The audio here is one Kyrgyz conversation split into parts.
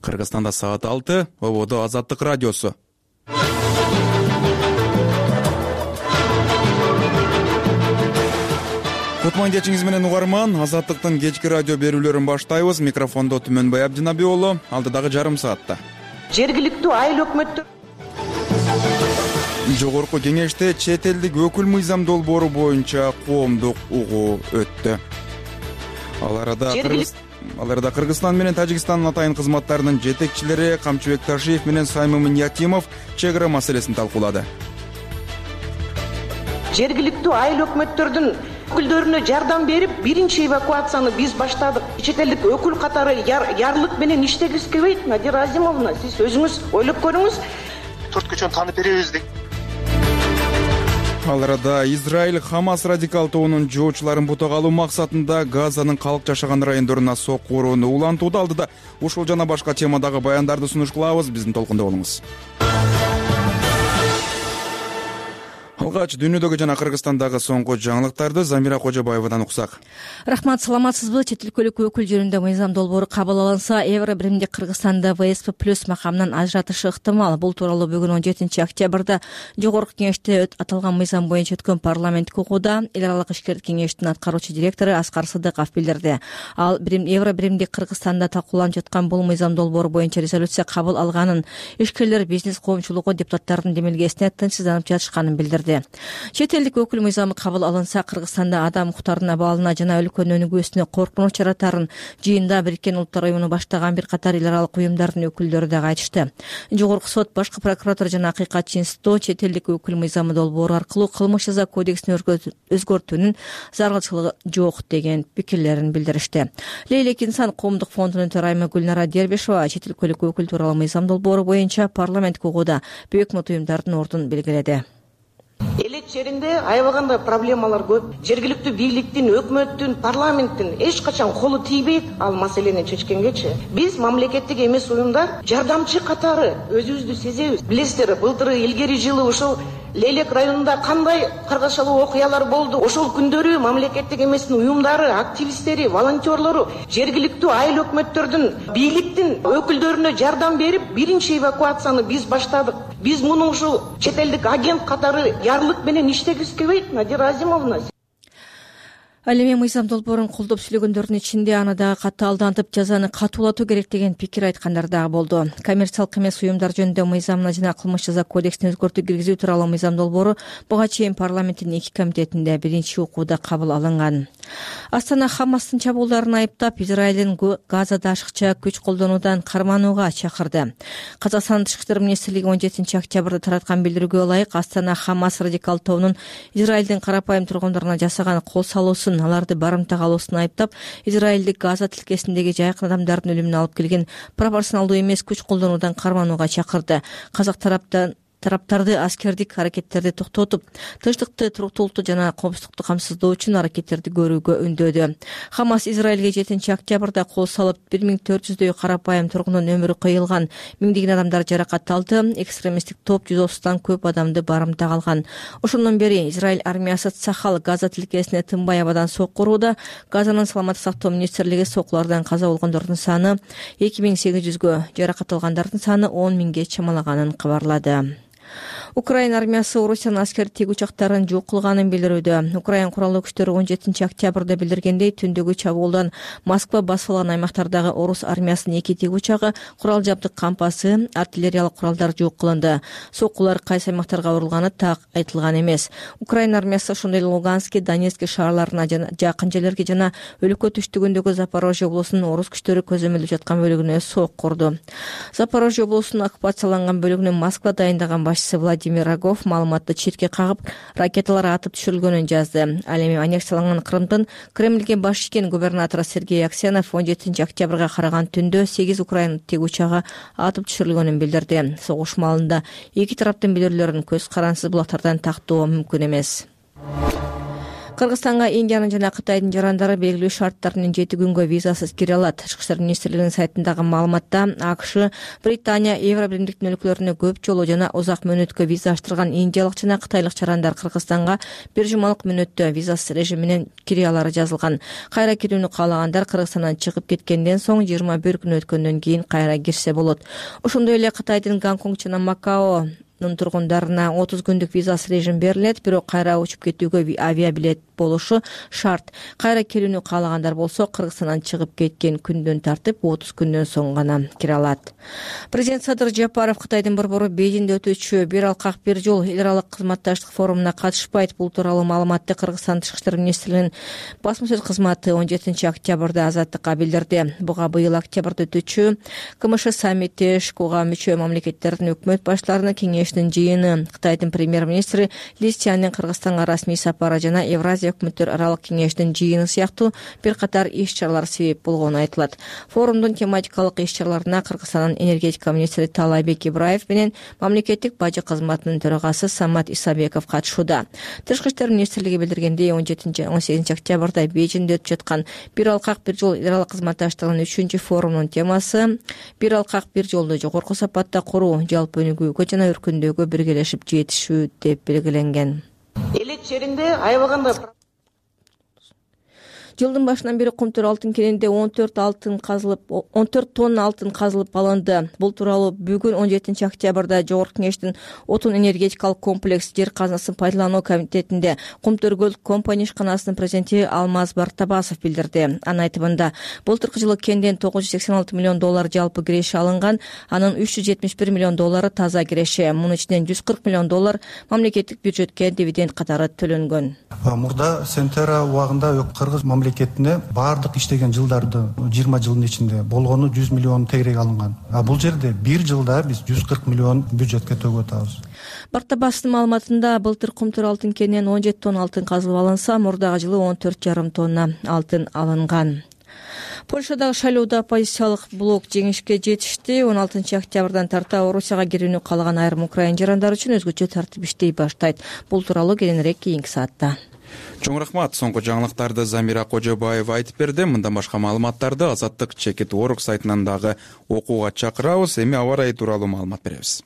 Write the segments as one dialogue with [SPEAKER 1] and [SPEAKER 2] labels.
[SPEAKER 1] Кыргызстанда саат 6, ободо Азаттык радиосу. Кутман кечиңиз менен угарман, Азаттыктын кечки радио берүүлөрүн баштайбыз. Микрофондо Түмөнбай Абдинабиулу, алдыдагы жарым саатта.
[SPEAKER 2] Жергиликтүү айыл өкмөттөр
[SPEAKER 1] Жогорку кеңеште чет элдик өкүл мыйзам долбоору боюнча коомдук угуу өттү. Ал арада Кыргызстан менен Тажикстандын атайын кызматтарынын жетекчилери Камчыбек Ташиев менен Саймымын Якимов чек ара маселесин талкуулады.
[SPEAKER 2] Жергиликтүү айыл өкмөттөрдүн өкүлдөрүнө жардам берип, биринчи эвакуацияны биз баштадык. Чет элдик өкүл катары ярлык менен иштегиз келбейт. Надира Азимовна, сиз өзүңүз ойлоп көрүңүз.
[SPEAKER 3] Төрткүчөнү таанып беребиз дейт.
[SPEAKER 1] Ал арада Израиль Хамас радикал тобунун жоочуларын бутак алуу максатында Газанын калк жашаган райондоруна сокку урууну улантууда. Алдыда ушул жана башка темадагы баяндарды сунуш кылабыз. Биздин толкунда болуңуз. Алгач дүйнөдөгү жана Кыргызстандагы соңку жаңылыктарды Замира Кожобаевадан уксак.
[SPEAKER 4] Рахмат, саламатсызбы? Чет өлкөлүк өкүл жөнүндө мыйзам долбоору кабыл алынса, Евро биримди Кыргызстанда ВСП+ макамынан ажыратышы ыктымал. Бул тууралуу бүгүн 17 октябрда Жогорку кеңеште аталган мыйзам боюнча өткөн парламенттик угууда эл аралык ишкер кеңештин аткаруучу директору Аскар Сыдыков билдирди. Ал Евро биримди Кыргызстанда талкууланып жаткан бул мыйзам долбоору боюнча резолюция кабыл алганын, ишкерлер, бизнес коомчулугу, депутаттардын демилгесине тынчсызданып жатышканын билдирди. Чет элдик өкүл мыйзамы кабыл алынса, Кыргызстанда адам укуктарынын абалына жана өлкөнүн өнүгүүсүнө коркунуч жаратарын жыйында Бириккен Улуттар уюмуну баштаган бир катар эл аралык уюмдардын өкүлдөрү дагы айтышты. Жогорку сот, башкы прокуратура жана Акыйкатчы институту чет элдик өкүл мыйзамы долбоору аркылуу кылмыш жаза кодексин өзгөртүүнүн зарылчылыгы жок деген пикирлерин билдиришти. Лейлек инсан коомдук фондунун төрайымы Гүлнара Дербишева чет өлкөлүк өкүл тууралуу мыйзам долбоору боюнча парламенттик угууда бейөкмөт уюмдардын ордун белгиледи.
[SPEAKER 2] Элек жеринде аябаганда проблемалар көп. Жергиликтүү бийликтин, өкмөттүн, парламенттин эч качан колу тийбейт ал маселени чечкенгечи. Биз мамлекеттик эмес уюмдар жардамчы катары өзүбүздү сезебиз. Билесиздер, былтыр илгери жылы ошол Лейлек районунда кандай каргашалуу окуялар болду. Ошол күндөрү мамлекеттик эмес уюмдары, активисттери, волонтерлору жергиликтүү айыл өкмөттөрдүн, бийликтин өкүлдөрүнө жардам берип, биринчи эвакуацияны биз баштадык. Биз муну ушул чет элдик агент катары ярлык менен иштегиз келбейт, Надира Азимовна.
[SPEAKER 4] Ал эми мыйзам долбоорун колдоп сүйлөгөндөрдүн ичинде аны дагы каттаалдантып, жазаны катуулатуу керек деген пикир айткандар дагы болду. Коммерциялык эмес уюмдар жөнүндө мыйзамына жана кылмыш жаза кодексине өзгөртүү киргизүү тууралуу мыйзам долбоору буга чейин парламенттин 2 комитетинде биринчи окууда кабыл алынган. Астана Хамастын чабуулдарын айыптап, Израилдин Газада ашыкча күч колдонуудан карманууга чакырды. Казакстан Тышкы иштер министрлиги 17 октябрда тараткан билдирүүгө ылайык, Астана Хамас радикал тобунун Израилдин карапайым тургундарына жасаган кол салуусун, аларды барымтага алуусун айыптап, Израилдик Газа тилкесиндеги жайкын адамдардын өлүмүнө алып келген пропорционалдуу эмес күч колдонуудан карманууга чакырды. Казак тараптарды аскердик аракеттерди токтотуп, тынчтыкты, туруктуулукту жана коопсуздукту камсыздоо үчүн аракеттерди көрүүгө үндөдү. Хамас Израилге 7 октябрда кол салып, 1400дөй карапайым тургундун өмүрү кыйылган, миңдеген адамдар жаракат алды, экстремисттик топ 130 көп адамды барымтага алган. Ошондон бери Израиль армиясы Цахал Газа тилкесине тынбай абадан сокку урууда. Газанын саламаттык сактоо министрлиги соккулардан каза болгондордун саны 2800гө, жаракат алгандардын саны 10.000ге чамалаганын кабарлады. Украина армиясы Орусиянын аскер тиги учактарын жок кылганын билдирүүдө. Украина куралдуу күчтөрү 17 октябрда билдиргендей, түндөгү чабуулдан Москва басып алган аймактардагы орус армиясынын 2 тиги учагы, курал жабдык кампасы, артиллериялык куралдар жок кылынды. Соккулар кайсы аймактарга урулганы так айтылган эмес. Украина армиясы ошондой эле Луганский, Донецкий шаарларына жакын жерлерге жана өлкө түштүгүндөгү Запорожье облусунун орус күчтөрү көзөмөлдөп жаткан бөлүгүнө сокку урду. Запорожье облусунун оккупацияланган бөлүгүнө Москва дайындаган башчысы Владимир Рогов маалыматты четке кагып, ракеталар атып түшүрүлгөнүн жазды. Ал эми аннексияланган Крымдын Кремльге баш ийген губернатору Сергей Аксенов 17 октябрга караган түндө 8 Украина тиги учагы атып түшүрүлгөнүн билдирди. Согуш маалында эки тараптын билдирүүлөрүн көз карансыз булактардан тактоо мүмкүн эмес. Кыргызстанга Индиянын жана Кытайдын жарандары белгилүү шарттар менен 7 күнгө визасыз кире алат. Тышкы иштер министрлигинин сайтындагы маалыматта АКШ, Британия, Евробиримдиктин өлкөлөрүнө көп жолу жана узак мөөнөткө виза аштырган индиялык жана кытайлык жарандар Кыргызстанга 1 жумалык мөөнөттө визасыз режим менен кире алары жазылган. Кайра кирүүнү каалагандар Кыргызстандан чыгып кеткенден соң 21 күн өткөндөн кийин кайра кирсе болот. Ошондой эле Кытайдын Гонконг жана Макао тургундарына 30 күндүк визасыз режим берилет, бирок кайра учуп кетүүгө авиабилет болушу шарт. Кайра келүүнү каалагандар болсо Кыргызстандан чыгып кеткен күндөн тартып 30 күндөн соң гана кире алат. Президент Садыр Жапаров Кытайдын борбору Бейжиңде өтүүчү бир алкак бир жол эл аралык кызматташтык форумуна катышпайт. Бул тууралуу маалыматты Кыргызстан Тышкы иштер министрлигинин басма сөз кызматы 17 октябрда Азаттыкка билдирди. Буга быйыл октябрда өтүүчү КМШ саммити ШКУга мүчө мамлекеттердин өкмөт баштарынын кеңешинин жыйыны, Кытайдын премьер-министри Ли Цзяньдин Кыргызстанга расмий сапары жана Евразия өкмөттөр аралык кеңешинин жыйыны сыяктуу бир катар иш-чаралар себеп болгону айтылат. Форумдун тематикалык иш-чараларына Кыргызстандын энергетика министри Таалайбек Ибраев менен мамлекеттик бажы кызматынын төрагасы Самат Исабеков катышууда. Тышкы иштер министрлиги билдиргендей 17-18 октябрда Бейжиңде өтүп жаткан бир алкак бир жол эл аралык кызматташтыгынын 3 форумунун темасы бир алкак бир жолду жогорку сапатта куруу, жалпы өнүгүүгө жана өркүндөөгө биргелешип жетишүү деп белгиленген.
[SPEAKER 2] Элек жеринде аябаганда
[SPEAKER 4] Жылдын башынан бери Кумтөр алтын кенинде 14 тонна алтын казылып алынды. Бул тууралуу бүгүн 17 октябрда Жогорку кеңештин отун энергетикалык комплекс жер казынасын пайдалануу комитетинде Кумтөр Көл компания ишканасынын президенти Алмаз Бартабасов билдирди. Анын айтымында, былтыркы жылы кенден $986 миллион жалпы киреши алынган, анын $371 миллион таза киреши, мунун ичинен $140 миллион мамлекеттик бюджетке дивиденд катары төлөнгөн.
[SPEAKER 5] Мурда Сентера убагында Кыргыз мамлекетине баардык иштеген жылдарды 20 жылдын ичинде болгону 100 миллион тегерек алынган. Бул жерде бир жылда биз 140 миллион бюджетке төгүп атабыз.
[SPEAKER 4] Бартабастын маалыматында былтыр Кумтөр алтын кенинен 17 тонна алтын казылып алынса, мурдагы жылы 14,5 тонна алтын алынган. Польшадагы шайлоодо оппозициялык блок жеңишке жетишти. 16 октябрдан тарта Орусияга кирүүнү каалаган айрым украин жарандары үчүн өзгөчө тартип иштей баштайт. Бул тууралуу кийинирээк кийинки саатта.
[SPEAKER 1] Чоң рахмат. Соңку жаңылыктарды Замира Кожобаева айтып берди. Мындан башка маалыматтарды Азаттык Чекит.org сайтынан дагы окууга чакырабыз. Эми аба ырайы тууралуу маалымат беребиз.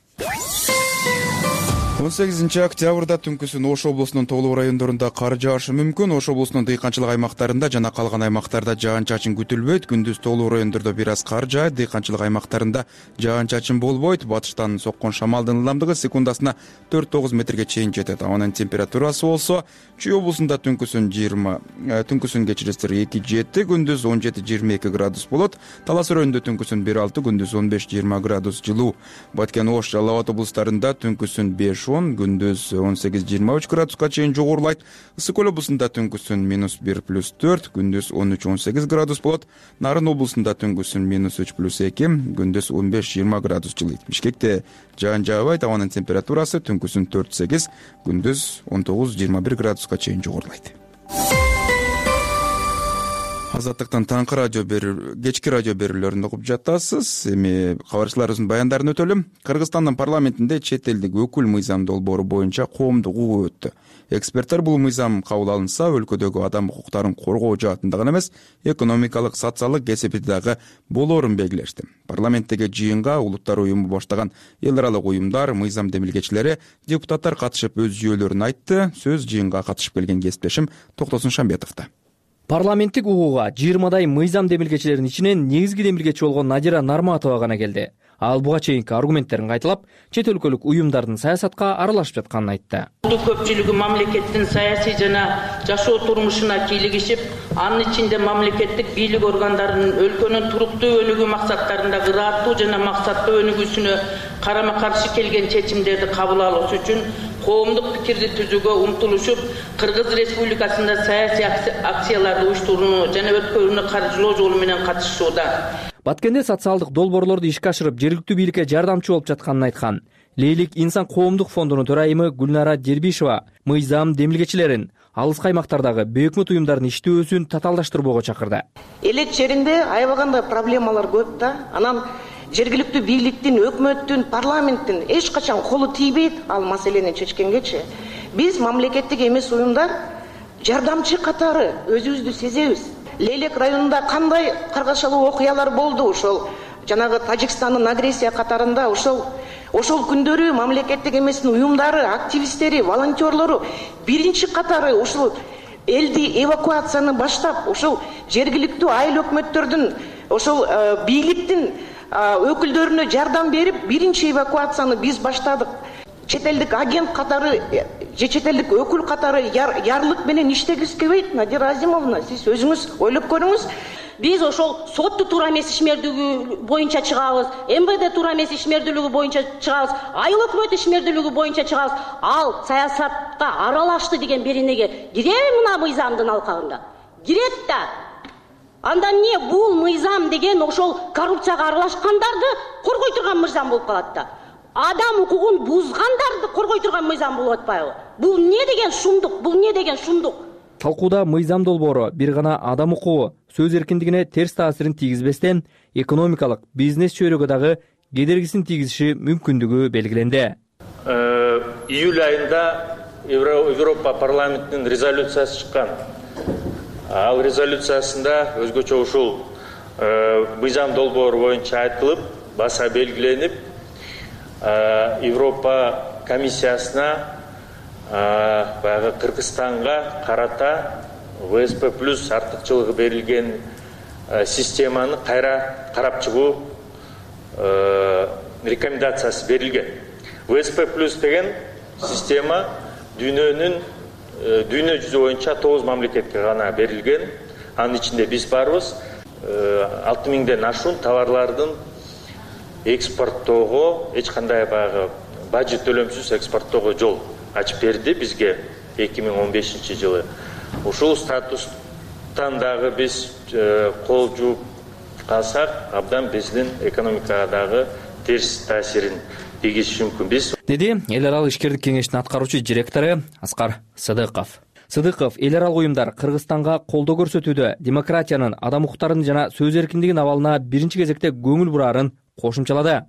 [SPEAKER 1] 18 октябрда түнкүсүн Ош облусунун толук райондорунда кар жаашы мүмкүн. Ош облусунун дыйканчылык аймактарында жана калган аймактарда жаан-чачын күтүлбөйт. Күндүз толук райондордо бир аз кар жаайт. Дыйканчылык аймактарында жаан-чачын болбойт. Батыштан соккон шамалдын ылдамдыгы секундасына 4-9 метрге чейин жетет. Ауанын температурасы болсо Чүй облусунда түнкүсүн кечиресиндер 2-7, күндүз 17-22 градус болот. Талас районунда түнкүсүн 1-6, күндүз 15-20 градус жылуу. Баткен, Ош, Жалал Абад облустарында түнкүсүн 5-10, күндүз 18-23 градуска чейин жогорулайт. Ысык Көл облусунда түнкүсүн -1+4, күндүз 13-18 градус болот. Нарын облусунда түнкүсүн -3+2, күндүз 15-20 градус жылыйт. Бишкекте жаан жаабайт. Ауанын температурасы түнкүсүн 4-8, күндүз 19-21 градуска чейин жогорулайт. Азаттыктын таңкы кечки радио берүүлөрүн угуп жатасыз. Эми кабарчыларыбыздын баяндарын өтөлүм. Кыргызстандын парламентинде чет элдик өкүл мыйзам долбоору боюнча коомдук угуу өттү. Эксперттер бул мыйзам кабыл алынса, өлкөдөгү адам укуктарын коргоо жаатында гана эмес, экономикалык, социалдык кесипти дагы болоорун белгилешти. Парламенттеги жыйынга улуттар уюму баштаган эл аралык уюмдар, мыйзам демилгечилери, депутаттар катышып өз жүйөлөрүн айтты. Сөз жыйынга катышып келген кесиптешим Токтосун Шамбетовдо.
[SPEAKER 6] Парламенттик угууга 20дай мыйзам демилгечилеринин ичинен негизги демилгечи болгон Надира Нарматова гана келди. Ал буга чейинки аргументтерин кайталап, чет өлкөлүк уюмдардын саясатка аралашып жатканын айтты.
[SPEAKER 7] Көпчүлүгү мамлекеттин саясий жана жашоо турмушуна кийлигишип, анын ичинде мамлекеттик бийлик органдарынын өлкөнүн туруктуу өнүгүү максаттарында ыраттуу жана максаттуу өнүгүүсүнө карама каршы келген чечимдерди кабыл алуу үчүн коомдук пикирди түзүүгө умтулушуп, Кыргыз Республикасында саясий акцияларды уюштурууну жана өткөрүүнү каржылоо жолу менен катышууда.
[SPEAKER 6] Баткенде социалдык долбоорлорду ишке ашырып, жергиликтүү бийликке жардамчы болуп жатканын айткан. Лейлик инсан коомдук фондунун төрайымы Гүлнара Дербишева мыйзам демилгечилерин алыскы аймактардагы бейөкмөт уюмдардын иштөөсүн татаалдаштырбоого чакырды.
[SPEAKER 2] Элек жеринде аябаганда проблемалар көп да. Анан жергиликтүү бийликтин, өкмөттүн, парламенттин эч качан колу тийбейт ал маселени чечкенгечи. Биз мамлекеттик эмес уюмдар жардамчы катары өзүбүздү сезебиз. Лейлек районунда кандай каргашалуу окуялар болду, ошол жанагы Тажикстандын агрессия катарында ошол күндөрү мамлекеттик эмес уюмдары, активисттери, волонтерлору биринчи катары ушул элди эвакуацияны баштап, ошол жергиликтүү айыл өкмөттөрдүн, ошол бийликтин өкүлдөрүнө жардам берип, биринчи эвакуацияны биз баштадык. Чет элдик агент катары же чет элдик өкүл катары ярлык менен иштегиз келбейт. Надира Азимовна, сиз өзүңүз ойлоп көрүңүз.
[SPEAKER 8] Биз ошол сотту туура эмес ишмердүүлүгү боюнча чыгабыз, МВД туура эмес ишмердүүлүгү боюнча чыгабыз, айыл өкмөт ишмердүүлүгү боюнча чыгабыз. Ал саясатка аралашты деген беренеге киреби мына мыйзамдын алкагында? Кирет да. Анда эмне бул мыйзам деген ошол коррупцияга аралашкандарды коргой турган мыйзам болуп калат да. Адам укугун бузгандарды коргой турган мыйзам болуп атпайбы? Бул эмне деген шумдук? Бул эмне деген шумдук?
[SPEAKER 6] Талкууда мыйзам долбоору бир гана адам укугу, сөз эркиндигине терс таасирин тийгизбестен, экономикалык, бизнес чөйрөгө дагы кедергисин тийгизиши мүмкүндүгү белгиленди.
[SPEAKER 9] Июль айында Европа парламентинин резолюциясы чыккан. Ал резолюциясында өзгөчө ушул мыйзам долбоору боюнча айтылып, баса белгиленип, Европа комиссиясына баягы Кыргызстанга карата ВСП плюс артыкчылыгы берилген системаны кайра карап чыгуу рекомендациясы берилген. ВСП плюс деген система дүйнө жүзү боюнча 9 мамлекетке гана берилген. Анын ичинде биз барбыз. 6000ден ашуун товарлардын экспорттоого, эч кандай баягы бажы төлөмсүз экспорттоого жол ачып берди бизге 2015 жылы. Ушул статустан дагы биз кол жууп калсак, абдан биздин экономикага дагы терс таасирин тийгизиши мүмкүн. Биз
[SPEAKER 6] деди эл аралык ишкердик кеңештин аткаруучу директору Аскар Сыдыков. Сыдыков эл аралык уюмдар Кыргызстанга колдоо көрсөтүүдө демократиянын, адам укуктарынын жана сөз эркиндигинин абалына биринчи кезекте көңүл бурарын кошумчалады.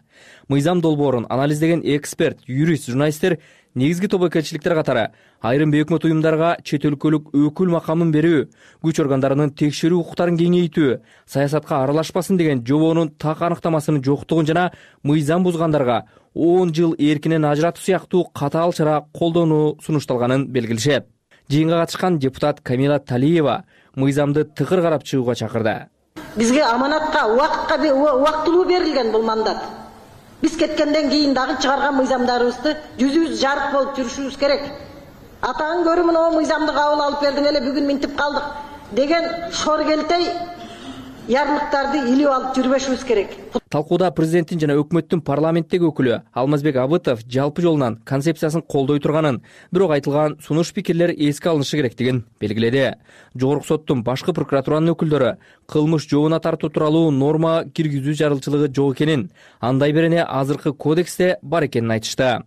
[SPEAKER 6] Мыйзам долбоорун анализдеген эксперт, юрист, журналисттер негизги тобокелчиликтер катары айрым өкмөт уюмдарга чет өлкөлүк өкүл макамын берүү, күч органдарынын текшерүү укуктарын кеңейтүү, саясатка аралашпасын деген жобонун так аныктамасынын жоктугун жана мыйзам бузгандарга 10 жыл эркинен ажыратуу сыяктуу катаал чара колдонуу сунушталганын белгилешет. Жыйынга катышкан депутат Камила Талиева мыйзамды тыкыр карап чыгууга чакырды.
[SPEAKER 10] Бизге аманатка, убактылуу берилген бул мандат. Биз кеткенден кийин дагы чыгарган мыйзамдарыбызды жүзүбүз жарык болуп жүрүшүбүз керек. Атаң көрү мына мыйзамды кабыл алып бердиң эле, бүгүн минтип калдык деген шор келтей ярлыктарды илип алып жүрбөшүбүз керек.
[SPEAKER 6] Талкууда президенттин жана өкмөттүн парламенттеги өкүлү Алмазбек Абытов жалпы жолунан концепциясын колдой турганын, бирок айтылган сунуш пикирлер эске алынышы керектигин белгиледи. Жогорку соттун башкы прокуратуранын өкүлдөрү кылмыш жообуна тартуу тууралуу норма киргизүү зарылчылыгы жок экенин, андай берене азыркы кодексте бар экенин айтышты.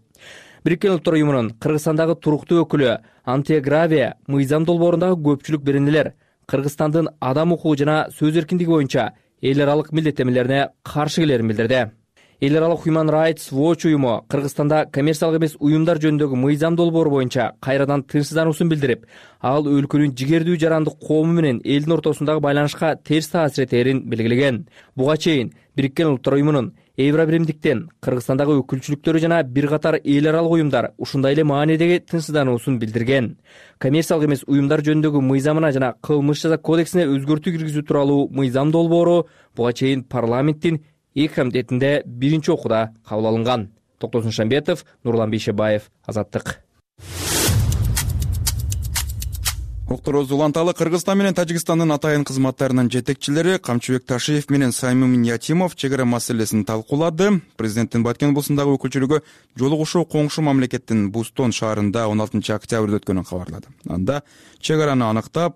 [SPEAKER 6] Бириккен Улуттар уюмунун Кыргызстандагы туруктуу өкүлү Антия Гравия мыйзам долбоорундагы көпчүлүк беренелер Кыргызстандын адам укугу жана сөз эркиндиги боюнча эл аралык милдеттенмелерине каршы келерин билдирди. Эл аралык Human Rights Watch уюму Кыргызстанда коммерциялык эмес уюмдар жөнүндөгү мыйзам долбоору боюнча кайрадан тынчсыздануусун билдирип, ал өлкөнүн жигердүү жарандык коому менен элдин ортосундагы байланышка терс таасир этерин белгилеген. Буга чейин Бириккен Улуттар уюмунун Евробиримдиктен Кыргызстандагы өкүлчүлүктөрү жана бир катар эл аралык уюмдар ушундай эле маанидеги тынчсыздануусун билдирген. Коммерциялык эмес уюмдар жөнүндөгү мыйзамына жана кылмыш жаза кодексине өзгөртүү киргизүү тууралуу мыйзам долбоору буга чейин парламенттин эки комитетинде биринчи окууда кабыл алынган. Токтосун Шамбетов, Нурлан Бейшебаев, Азаттык.
[SPEAKER 1] Октороз уланталы Кыргызстан менен Тажикстандын атайын кызматтарынын жетекчилери Камчыбек Ташиев менен Саймим Ятимов чек ара маселесин талкуулады. Президенттин Баткен облусундагы өкүлчүлүгү жолугушуу коңшу мамлекеттин Бустон шаарында 16 октябрда өткөнүн кабарлады. Анда чек араны аныктап,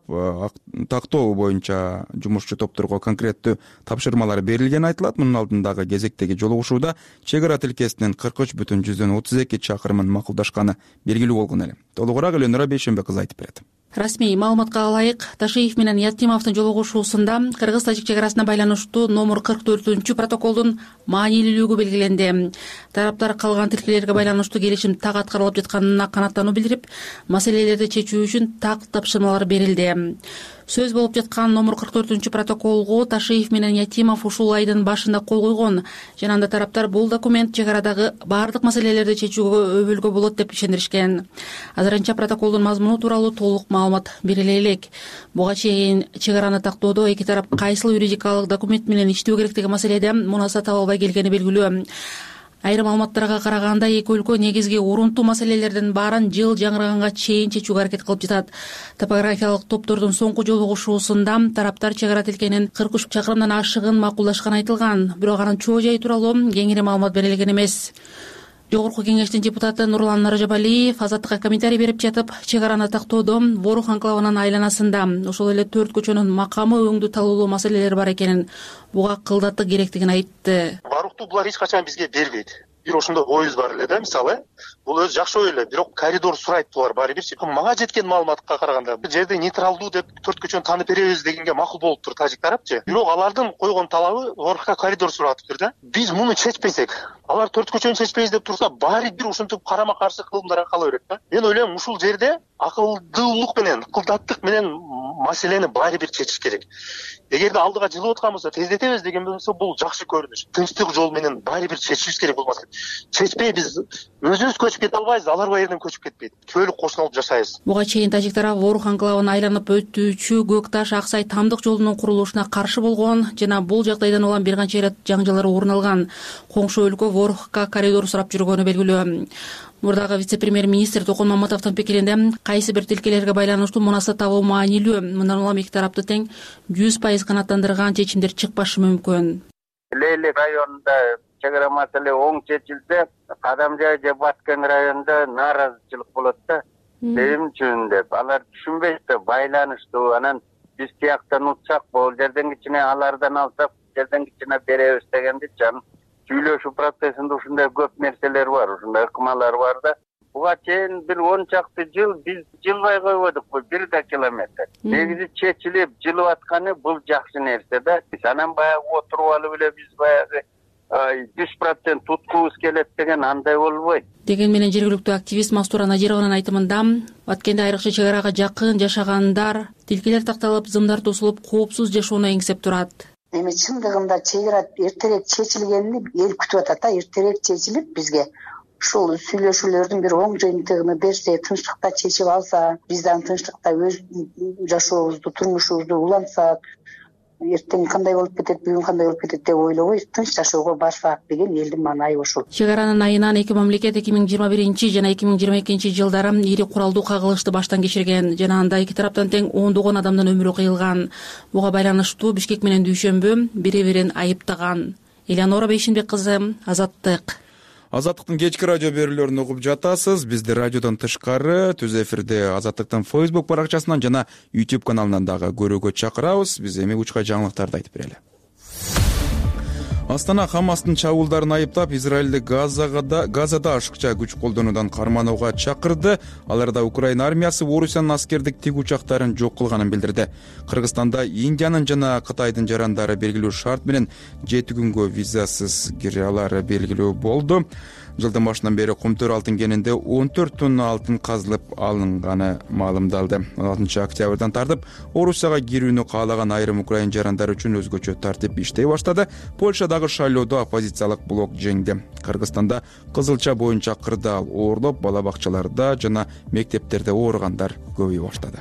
[SPEAKER 1] тактоо боюнча жумушчу топторго конкреттүү тапшырмалар берилгени айтылат. Мунун алдындагы кезектеги жолугушууда чек ара тилкесинин 43,32 чакырымын макулдашканы белгилүү болгон эле. Толугураак Элөнора Бейшембек кызы айтып берет.
[SPEAKER 11] Расмий маалыматка ылайык, Ташиев менен Ятимовдун жолугушуусунда кыргыз-тажик чек арасына байланыштуу номер 44 протоколдун маанилүүлүгү белгиленди. Тараптар калган тилкелерге байланыштуу келишим так аткарылып жатканына канааттануу билдирип, маселелерди чечүү үчүн так тапшырмалар берилди. Сөз болуп жаткан номер 44 протоколго Ташиев менен Ятимов ушул айдын башында кол койгон. Жана анда тараптар бул документ чек арадагы баардык маселелерди чечүүгө өбөлгө болот деп ишендиришкен. Азырынча протоколдун мазмуну тууралуу толук маалымат бериле элек. Буга чейин чек араны тактоодо эки тарап кайсыл юридикалык документ менен иштөө керек деген маселеде мунаса таба албай келгени белгилүү. Айрым маалыматтарга караганда эки өлкө негизги урунтуу маселелердин баарын жыл жаңырганга чейин чечүүгө аракет кылып жатат. Топографиялык топтордун соңку жолугушуусунда тараптар чек ара тилкенин 43 чакырымдан ашыгын макулдашканы айтылган. Бирок анын чоо жайы тууралуу кеңири маалымат берилген эмес. Жогорку кеңештин депутаты Нурлан Наржабалиев Азаттыкка комментарий берип жатып, чек араны тактоодо Ворух анклавынын айланасында ошол эле 4 көчөнүн макамы өңдүү талуулуу маселелер бар экенин, буга кылдаттык керектигин айтты.
[SPEAKER 3] Барукту булар эч качан бизге бербейт. Бир ошондой оюбуз бар эле да, мисалы. Бул өзү жакшы ой эле, бирок коридор сурайт булар баары бирчи. Мага жеткен маалыматка караганда, бул жерде нейтралдуу деп 4 көчөнү таанып беребиз дегенге макул болуптур тажик тарапчы. Бирок алардын койгон талабы Орухка коридор суратыптыр да. Биз муну чечпесек, алар 4 көчөнү чечпейбиз деп турса, баары бир ушинтип карама каршы кылымдарга кала берет да. Мен ойлойм, ушул жерде акылдуулук менен, кылдаттык менен маселени баары бир чечиш керек. Эгерде алдыга жылып аткан болсо, тездетебиз деген болсо, бул жакшы көрүнүш. Тынчтык жол менен баары бир чечишибиз керек болмаса. Чечпей биз өзүбүз көчүп кете албайбыз, алар бул жерден көчүп кетпейт. Түбөлүк кошуналып жашайбыз.
[SPEAKER 11] Буга чейин тажик тарап Ворух анклавын айланып өтүүчү Көк Таш Аксай тамдык жолунун курулушуна каршы болгон жана бул жагдайдан улам бир канча ирет жаңжалар орун алган. Коңшу өлкө Ворухка коридор сурап жүргөнү белгилүү. Мурдагы вице-премьер-министр Токон Маматовдун пикиринде кайсы бир тилкелерге байланыштуу мунаса табуу маанилүү. Мындан улам эки тарапты тең 100% канааттандырган чечимдер чыкпашы мүмкүн.
[SPEAKER 12] Лейлик районунда чек ара маселе оң чечилсе, Кадамжай же Баткен районунда нааразычылык болот да. Эмне үчүн деп алар түшүнбөйт да, байланыштуу. Анан биз тияктан утсак, бул жерден кичине алардан алсак, жерден кичине беребиз дегенде жан сүйлөшүү процессинде ушундай көп нерселер бар, ушундай ыкмалар бар да. Буга чейин бир 10 чакты жыл биз жылбай койбодукпу, 1 километр. Негизи чечилип жылып атканы бул жакшы нерсе да. Анан баягы отуруп алып эле биз баягы 100% туткубуз келет деген андай болбойт.
[SPEAKER 11] Деген менен жергиликтүү активист Мастура Надированын айтымында, Баткенде айрыкча чек арага жакын жашагандар тилкелер такталып, зымдар тосулуп, коопсуз жашоону эңсеп турат.
[SPEAKER 13] Эми чындыгында чек ара эртерээк чечилгенин эл күтүп атат да, эртерээк чечилип бизге ушул сүйлөшүүлөрдүн бир оң жыйынтыгын берсе, тынчтыкта чечип алса, биз дагы тынчтыкта өз жашообузду, турмушубузду улантсак, эртең кандай болуп кетет, бүгүн кандай болуп кетет деп ойлобой тынч жашоого барсак деген элдин маанайы ушул.
[SPEAKER 11] Чек аранын айынан эки мамлекет 2021 жана 2022 жылдары ири куралдуу кагылышты баштан кечирген жана анда эки тараптан тең ондогон адамдын өмүрү кыйылган. Буга байланыштуу Бишкек менен Дүйшөмбү бири-бирин айыптаган. Элеонора Бейшинбек кызы, Азаттык.
[SPEAKER 1] Азаттыктын кечки радио берүүлөрүн угуп жатасыз. Бизди радиодон тышкары түз эфирде Азаттыктын Facebook баракчасынан жана YouTube каналынан дагы көрүүгө чакырабыз. Биз эми учка жаңылыктарды айтып берели. Астана Хамастын чабуулдарын айыптап, Израилди Газада ашыкча күч колдонуудан карманууга чакырды. Аларда Украина армиясы Орусиянын аскердик тик учактарын жок кылганын билдирди. Кыргызстанда Индиянын жана Кытайдын жарандары белгилүү шарт менен 7 күнгө визасыз кире алары белгилүү болду. Жылдын башынан бери Кумтөр алтын кенинде 14 тонна алтын казылып алынганы маалымдалды. 6 октябрдан тартып Орусияга кирүүнү каалаган айрым украин жарандары үчүн өзгөчө тартип иштей баштады. Польшадагы шайлоодо оппозициялык блок жеңди. Кыргызстанда кызылча боюнча кырдаал оорлоп, бала бакчаларда жана мектептерде ооругандар көбөйө баштады.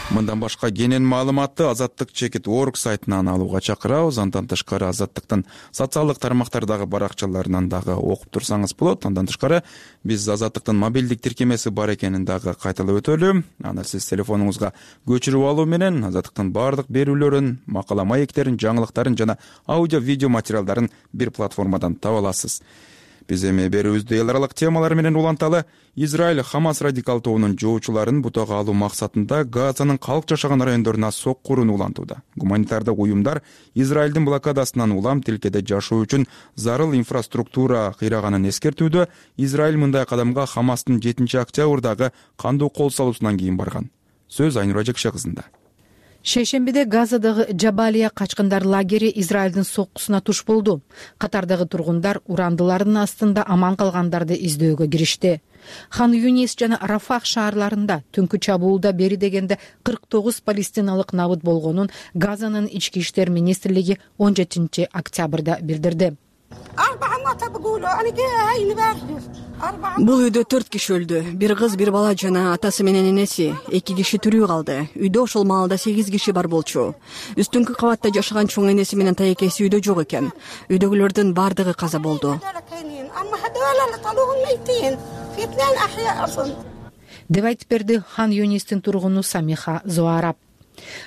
[SPEAKER 1] Мындан башка кенен маалыматты Азаттык.org сайтынан алууга чакырабыз. Андан тышкары Азаттыктын социалдык тармактардагы баракчаларынан дагы окуп турсаңыз болот. Андан тышкары биз Азаттыктын мобилдик тиркемеси бар экенин дагы кайталап өтөлү. Аны сиз телефонуңузга көчүрүп алуу менен Азаттыктын баардык берүүлөрүн, макала маектерин, жаңылыктарын жана аудио видео материалдарын бир платформадан таба аласыз. Биз эми берүүбүздү эл аралык темалар менен уланталы. Израиль Хамас радикал тобунун жоочуларын бутага алуу максатында Газанын калк жашаган райондоруна соккуруну улантууда. Гуманитардык уюмдар Израилдин блокадасынан улам тилкеде жашоо үчүн зарыл инфраструктура кыйраганын эскертүүдө. Израиль мындай кадамга Хамастын 7-октябрдагы кандуу кол салуусунан кийин барган. Сөз Айнура Жекше кызында.
[SPEAKER 14] Шейшембиде Газадагы Жабалия качкындар лагери Израилдин соккусуна туш болду. Катардагы тургундар урандылардын астында аман калгандарды издөөгө киришти. Хан Юнис жана Рафах шаарларында түнкү чабуулда бери дегенде 49 палестиналык набыт болгонун Газанын ички иштер министрлиги 17-октябрда билдирди.
[SPEAKER 15] Бул үйдө 4 киши өлдү. Бир кыз, бир бала жана атасы менен энеси. 2 киши тирүү калды. Үйдө ошол маалда 8 киши бар болчу. Үстүнкү кабатта жашаган чоң энеси менен таекеси үйдө жок экен. Үйдөгүлөрдүн бардыгы каза болду.
[SPEAKER 14] Деп айтып берди Хан Юнистин тургуну Самиха Зоараб.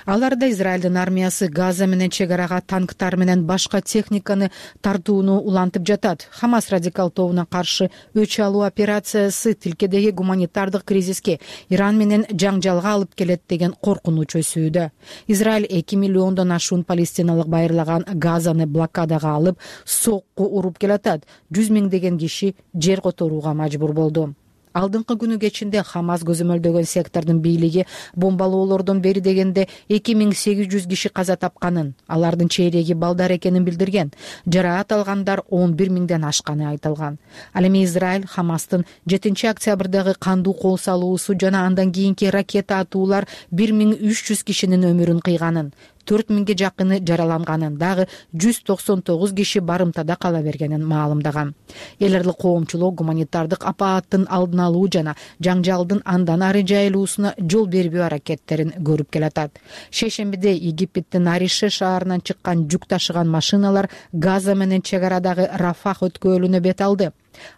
[SPEAKER 14] Аларда Израилдин армиясы Газа менен чек арага танктар менен башка техниканы тартууну улантып жатат. Хамас радикал тобуна каршы өч алуу операциясы тилкедеги гуманитардык кризиске, Иран менен жаңжалга алып келет деген коркунуч өсүүдө. Израиль 2 миллиондон ашуун палестиналык байырлаган Газаны блокадага алып, сокку уруп келатат. 100 миңдеген киши жер которууга мажбур болду. Алдыңкы күнү кечинде Хамас көзөмөлдөгөн сектордун бийлиги бомбалоолордон бери дегенде 2800 киши каза тапканын, алардын чейреги балдар экенин билдирген. Жараат алгандар 11 миңден ашканы айтылган. Ал эми Израиль Хамастын 7-октябрдагы кандуу кол салуусу жана андан кийинки ракета атуулар 1300 кишинин өмүрүн кыйганын, 4000ге жакыны жараланганын, дагы 199 киши барымтада кала бергенин маалымдаган. Эл аралык коомчулук гуманитардык апааттын алдын алуу жана жаңжалдын андан ары жайылуусуна жол бербөө аракеттерин көрүп келатат. Шейшембиде Египеттин Арише шаарынан чыккан жүк ташыган машиналар Газа менен чек арадагы Рафах өткөлүнө бет алды.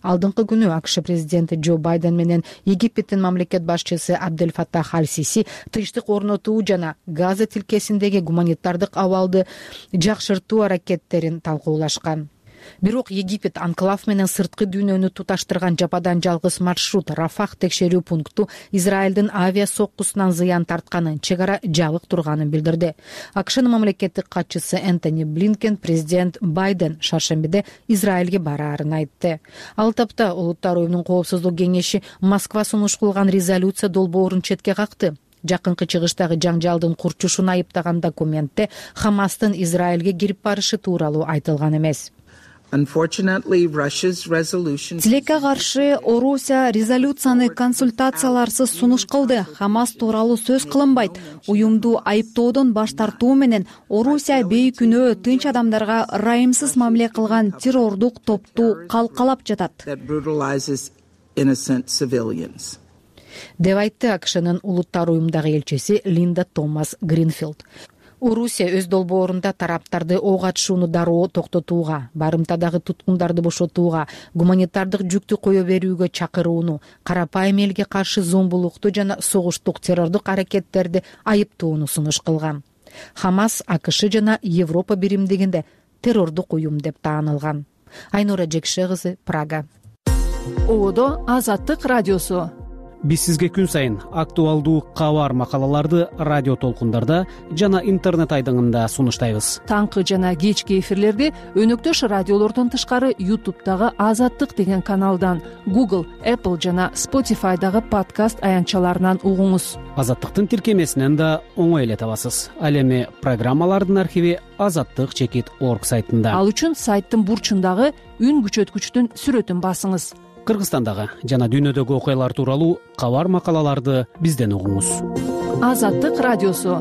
[SPEAKER 14] Алдыңкы күнү АКШ президенти Джо Байден менен Египеттин мамлекет башчысы Абдель Фаттах Аль-Сиси тынчтык орнотуу жана Газа тилкесиндеги гуманитардык абалды жакшыртуу аракеттерин талкуулашкан. Бирок Египет анклав менен сырткы дүйнөнү туташтырган жападан жалгыз маршрут Рафах текшерүү пункту Израилдин авиа соккусунан зыян тартканын, чек ара жабык турганын билдирди. АКШнын мамлекеттик катчысы Энтони Блинкен президент Байден шаршембиде Израилге бараарын айтты. Ал тапта Улуттар уюмунун коопсуздук кеңеши Москва сунуш кылган резолюция долбоорун четке какты. Жакынкы чыгыштагы жаңжалдын курчушун айыптаган документте Хамастын Израилге кирип барышы тууралуу айтылган эмес.
[SPEAKER 16] Тилекке каршы Орусия резолюцияны консультацияларсыз сунуш кылды. Хамас тууралуу сөз кылынбайт. Уюмду айыптоодон баш тартуу менен Орусия бейкүнөө тынч адамдарга ырайымсыз мамиле кылган террордук топту калкалап жатат.
[SPEAKER 14] Деп айтты АКШнын Улуттар уюмдагы элчиси Линда Томас Гринфилд. Орусия өз долбоорунда тараптарды ок атышууну дароо токтотууга, барымтадагы туткундарды бошотууга, гуманитардык жүктү кое берүүгө чакырууну, карапайым элге каршы зомбулукту жана согуштук террордук аракеттерди айыптоону сунуш кылган. Хамас АКШ жана Европа биримдигинде террордук уюм деп таанылган. Айнура Жекше кызы, Прага.
[SPEAKER 16] Одо Азаттык радиосу.
[SPEAKER 17] Биз сизге күн сайын актуалдуу кабар макалаларды радио толкундарда жана интернет айдыңында сунуштайбыз.
[SPEAKER 16] Таңкы жана кечки эфирлерди өнөктөш радиолордон тышкары YouTube'дагы Азаттык деген каналдан, Google, Apple жана Spotify'дагы подкаст аянтчаларынан угуңуз.
[SPEAKER 17] Азаттыктын тиркемесинен да оңой эле табасыз. Ал эми программалардын архиви azattik.org сайтында.
[SPEAKER 16] Ал үчүн сайттын бурчундагы үн күчөткүчтүн сүрөтүн басыңыз.
[SPEAKER 17] Кыргызстандагы жана дүйнөдөгү окуялар тууралуу кабар макалаларды бизден угуңуз.
[SPEAKER 16] Азаттык радиосу.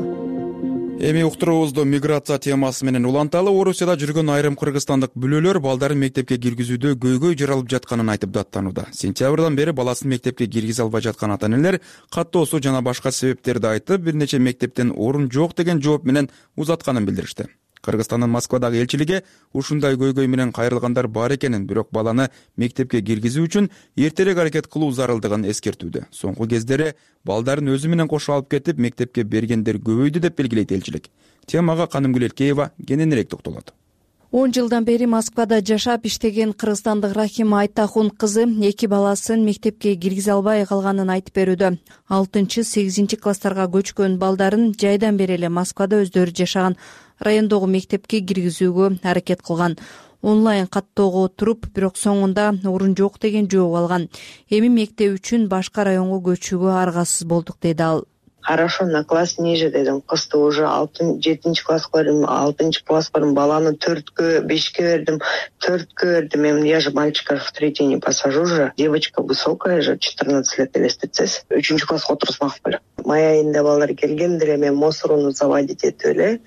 [SPEAKER 1] Эми уктуруубузду миграция темасы менен уланталы. Орусияда жүргөн айрым кыргызстандык бүлөлөр балдарын мектепке киргизүүдө көйгөй жаралып жатканын айтып даттанууда. Сентябрдан бери баласын мектепке киргизе албай жаткан ата-энелер каттоосу жана башка себептерди айтып, бир нече мектептен орун жок деген жооп менен узатканын билдиришти. Кыргызстандын Москвадагы элчилиги ушундай көйгөй менен кайрылгандар бар экенин, бирок баланы мектепке киргизүү үчүн эртерээк аракет кылуу зарылдыгын эскертүүдө. Соңку кездери балдарын өзү менен кошо алып кетип, мектепке бергендер көбөйдү деп белгилейт элчилик. Темага Канымгүл Элкеева кененирээк токтолот.
[SPEAKER 16] 10 жылдан бери Москвада жашап иштеген кыргызстандык Рахима Айтахун кызы 2 баласын мектепке киргизе албай калганын айтып берүүдө. 6-8 класстарга көчкөн балдарын жайдан бери эле Москвада өздөрү жашаган райондогу мектепке киргизүүгө аракет кылган. Онлайн каттоого туруп, бирок соңунда орун жок деген жооп алган. Эми мектеп үчүн башка районго көчүүгө аргасыз болдук, деди ал.
[SPEAKER 18] Хорошо, на класс ниже дедим. Кызды уже 7 класска бердим, 6 класска бердим. Баланы 4кө, 5кө бердим, 4кө бердим. Я же мальчика в 3 не посажу же. Девочка высокая же, 14 лет элестетсиз. 3 класска отурсмак беле. Май айында балдар келгендер, мен мусорunu заводить этип эле.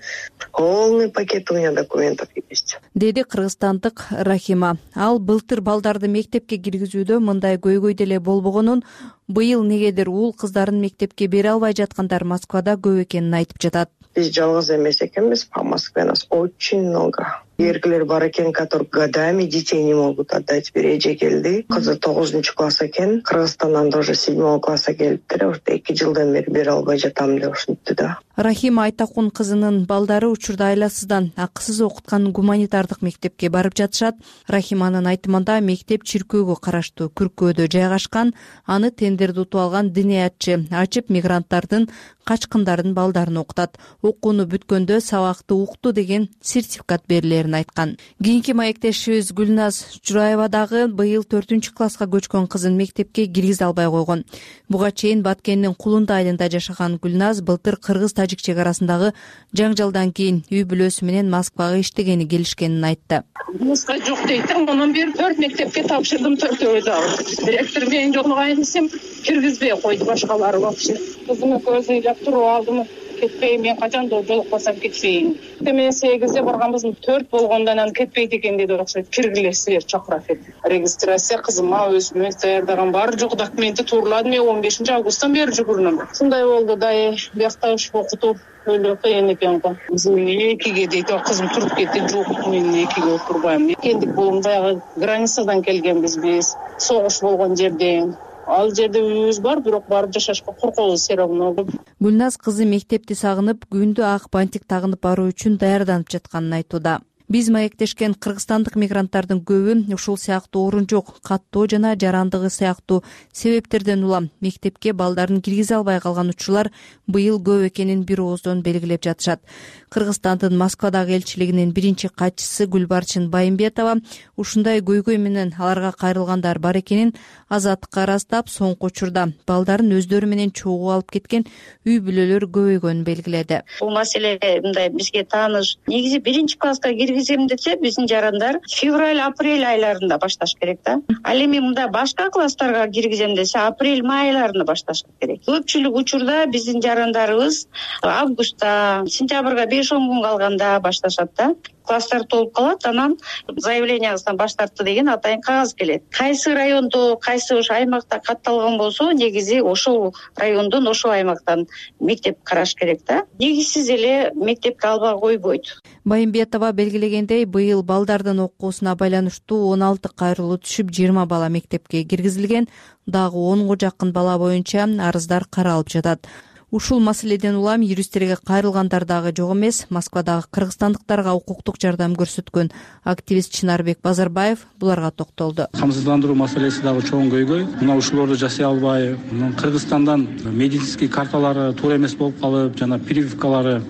[SPEAKER 18] Полный пакет у меня документов есть.
[SPEAKER 16] Деди кыргызстандык Рахима. Ал былтыр балдарды мектепке киргизүүдө мындай көйгөй деле болбогонун, быйыл негедир уул кыздарын мектепке бере албай жаткандар Москвада көп экенин айтып жатат.
[SPEAKER 18] Биз жалгыз эмес экенбиз, по Москве нас очень много. Эркелер бар экен, которые годами детей не могут отдать. Бир эже келди, кызы 9 класс экен, Кыргызстандан тоже 7 класска келиптир. 2 жылдан бери бере албай жатам деп ушинтти да.
[SPEAKER 16] Рахима Айтахун кызынын балдары учурда айласыздан акысыз окуткан гуманитардык мектепке барып жатышат. Рахиманын айтымында мектеп чиркөөгө караштуу Күркөөдө жайгашкан, аны тендерди утуп алган диниятчы ачып мигранттардын, качкындардын балдарын окутат. Окууну бүткөндө сабакты укту деген сертификат берилерин айткан. Кийинки маектешибиз Гүлназ Жураева дагы быйыл 4 класска көчкөн кызын мектепке киргизе албай койгон. Буга чейин Баткендин Кулунда айылында жашаган Гүлназ былтыр кыргыз-тажик чек арасындагы жаңжалдан кийин үй бүлөсү менен Москвага иштегени келишкенин айтты.
[SPEAKER 19] Муска жок дейт, анан бери 4 мектепке тапшырдым, 4-өө дагы. Директор менен жолугайын десем, киргизбей койду башкалары вообще. Кызымы көзүн жап туруп алдым. Кетпейм, мен качан жолукпасам кетпейм. Мен 8-де барганбызмын, 4 болгондон анан кетпейт экен деди, окшойт. Киргилесиздер, чакырат деп. Регистрация кызыма өзүмө даярдаган бар жок документи турладым. Мен 15 августтан бери жүгүрүнөм. Шундай болду да, биякта окутуп өлө кыйын экен го. Мен 2ге дейт, кызым туруп кетти. Жок, мен 2ге отурбайм. Кендик болум, баягы границадан келгенбиз биз. Согуш болгон жерден. Ал жерде үйүбүз бар, бирок барып жашашка коркобуз, все равно.
[SPEAKER 16] Гүлназ кызы мектепти сагынып, күндү ак бантик тагынып баруу үчүн даярданып жатканын айтууда. Биз маектешкен кыргызстандык мигранттардын көбү ушул сыяктуу орун жок, каттоо жана жарандыгы сыяктуу себептерден улам мектепке балдарын киргизе албай калган учурлар быйыл көп экенин бир ооздон белгилеп жатышат. Кыргызстандын Москвадагы элчилигинин биринчи катчысы Гүлбарчын Байымбетова ушундай көйгөй менен аларга кайрылгандар бар экенин Азаттыкка ырастап, соңку учурда балдарын өздөрү менен чогуу алып кеткен үй бүлөлөр көбөйгөнүн белгиледи.
[SPEAKER 20] Бул маселе мындай бизге тааныш. Негизи 1-класска киргизем десе, биздин жарандар февраль-апрель айларында башташ керек да. Ал эми мында башка класстарга киргизем десе, апрель-май айларында башташ керек. Көпчүлүк учурда биздин жарандарыбыз августта, сентябрга 5-10 күн калганда башташат да. Класстар толуп калат, анан заявленияңыздан баш тартты деген атайын кагаз келет. Кайсы райондо, кайсы ош аймакта катталган болсо, негизи ошол райондон, ошол аймактан мектеп караш керек да. Негизсиз эле мектепке албай койбойт.
[SPEAKER 16] Байымбетова белгилегендей, быйыл балдардын окуусуна байланыштуу 16 кайрылуу түшүп, 20 бала мектепке киргизилген, дагы 10го жакын бала боюнча арыздар каралып жатат. Ушул маселеден улам юристтерге кайрылгандар дагы жок эмес. Москвадагы кыргызстандыктарга укуктук жардам көрсөткөн активист Чынарбек Базарбаев буларга токтолду.
[SPEAKER 21] Камсыздандыруу маселеси дагы чоң көйгөй. Мына ушуларды жасай албай, Кыргызстандан медицинский карталары туура эмес болуп калып, жана прививкалары,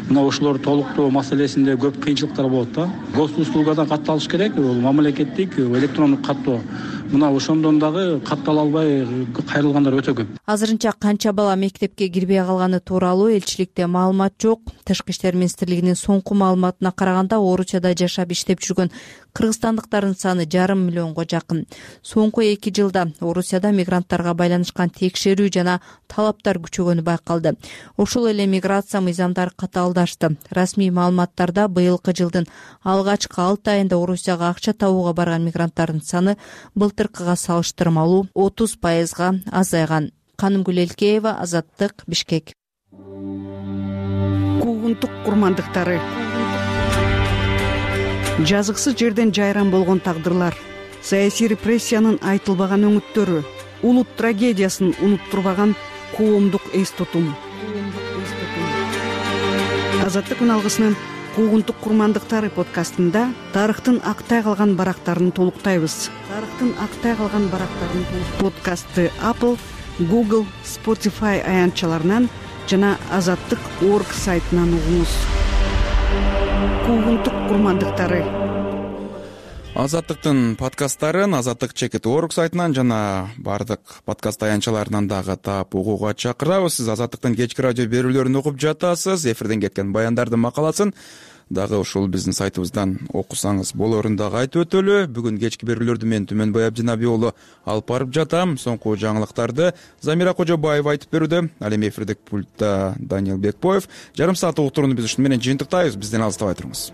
[SPEAKER 21] мына ушулар толуктоо маселесинде көп кыйынчылыктар болот да. Госуслугадан катталыш керек, бул мамлекеттик электрондук каттоо. Мына ошондон дагы каттала албай кайрылгандар өтө көп.
[SPEAKER 16] Азырынча канча бала мектепке кирбей калганы тууралуу элчиликте маалымат жок. Тышкы иштер министрлигинин соңку маалыматына караганда, Орусияда жашап иштеп жүргөн кыргызстандыктардын саны 5,5 миллионго жакын. Соңку 2 жылда Орусияда мигранттарга байланышкан текшерүү жана талаптар күчөгөнү байкалды. Ошол эле миграция мыйзамдары катаалдашты. Расмий маалыматтарда быйылкы жылдын алгачкы 6 айында Орусияга акча табууга барган мигранттардын саны былтыркыга салыштырмалуу 30% азайган. Канымгүл Элкеева, Азаттык, Бишкек.
[SPEAKER 22] Куугунтук курмандыктары. Жазыксыз жерден жайран болгон тагдырлар, саясий репрессиянын айтылбаган өңүттөрү, улут трагедиясын унуттурбаган коомдук эс тутум. Азаттык үн алгысынын Куугунтук курмандыктары подкастында тарыхтын актай калган барактарын толуктайбыз. Подкастты Apple, Google, Spotify аянтчаларынан жана Азаттык.org сайтынан угуңуз. Куугунтук курмандыктары.
[SPEAKER 1] Азаттыктын подкасттарын Азаттык.org сайтынан жана бардык подкаст аянтчаларынан дагы таап угууга чакырабыз. Сиз Азаттыктын кечки радио берүүлөрүн угуп жатасыз. Эфирден кеткен баяндардын макаласын дагы ушул биздин сайтыбыздан окусаңыз болорун дагы айтып өтөлү. Бүгүн кечки берүүлөрдү мен Түмөнбай Абдинабий уулу алып барып жатам. Соңку жаңылыктарды Замира Кожобаева айтып берүүдө. Ал эми эфирдик пультта Даниил Бекбоев. Жарым саат уктурууну биз ушун менен жыйынтыктайбыз. Бизден алыстабай туруңуз.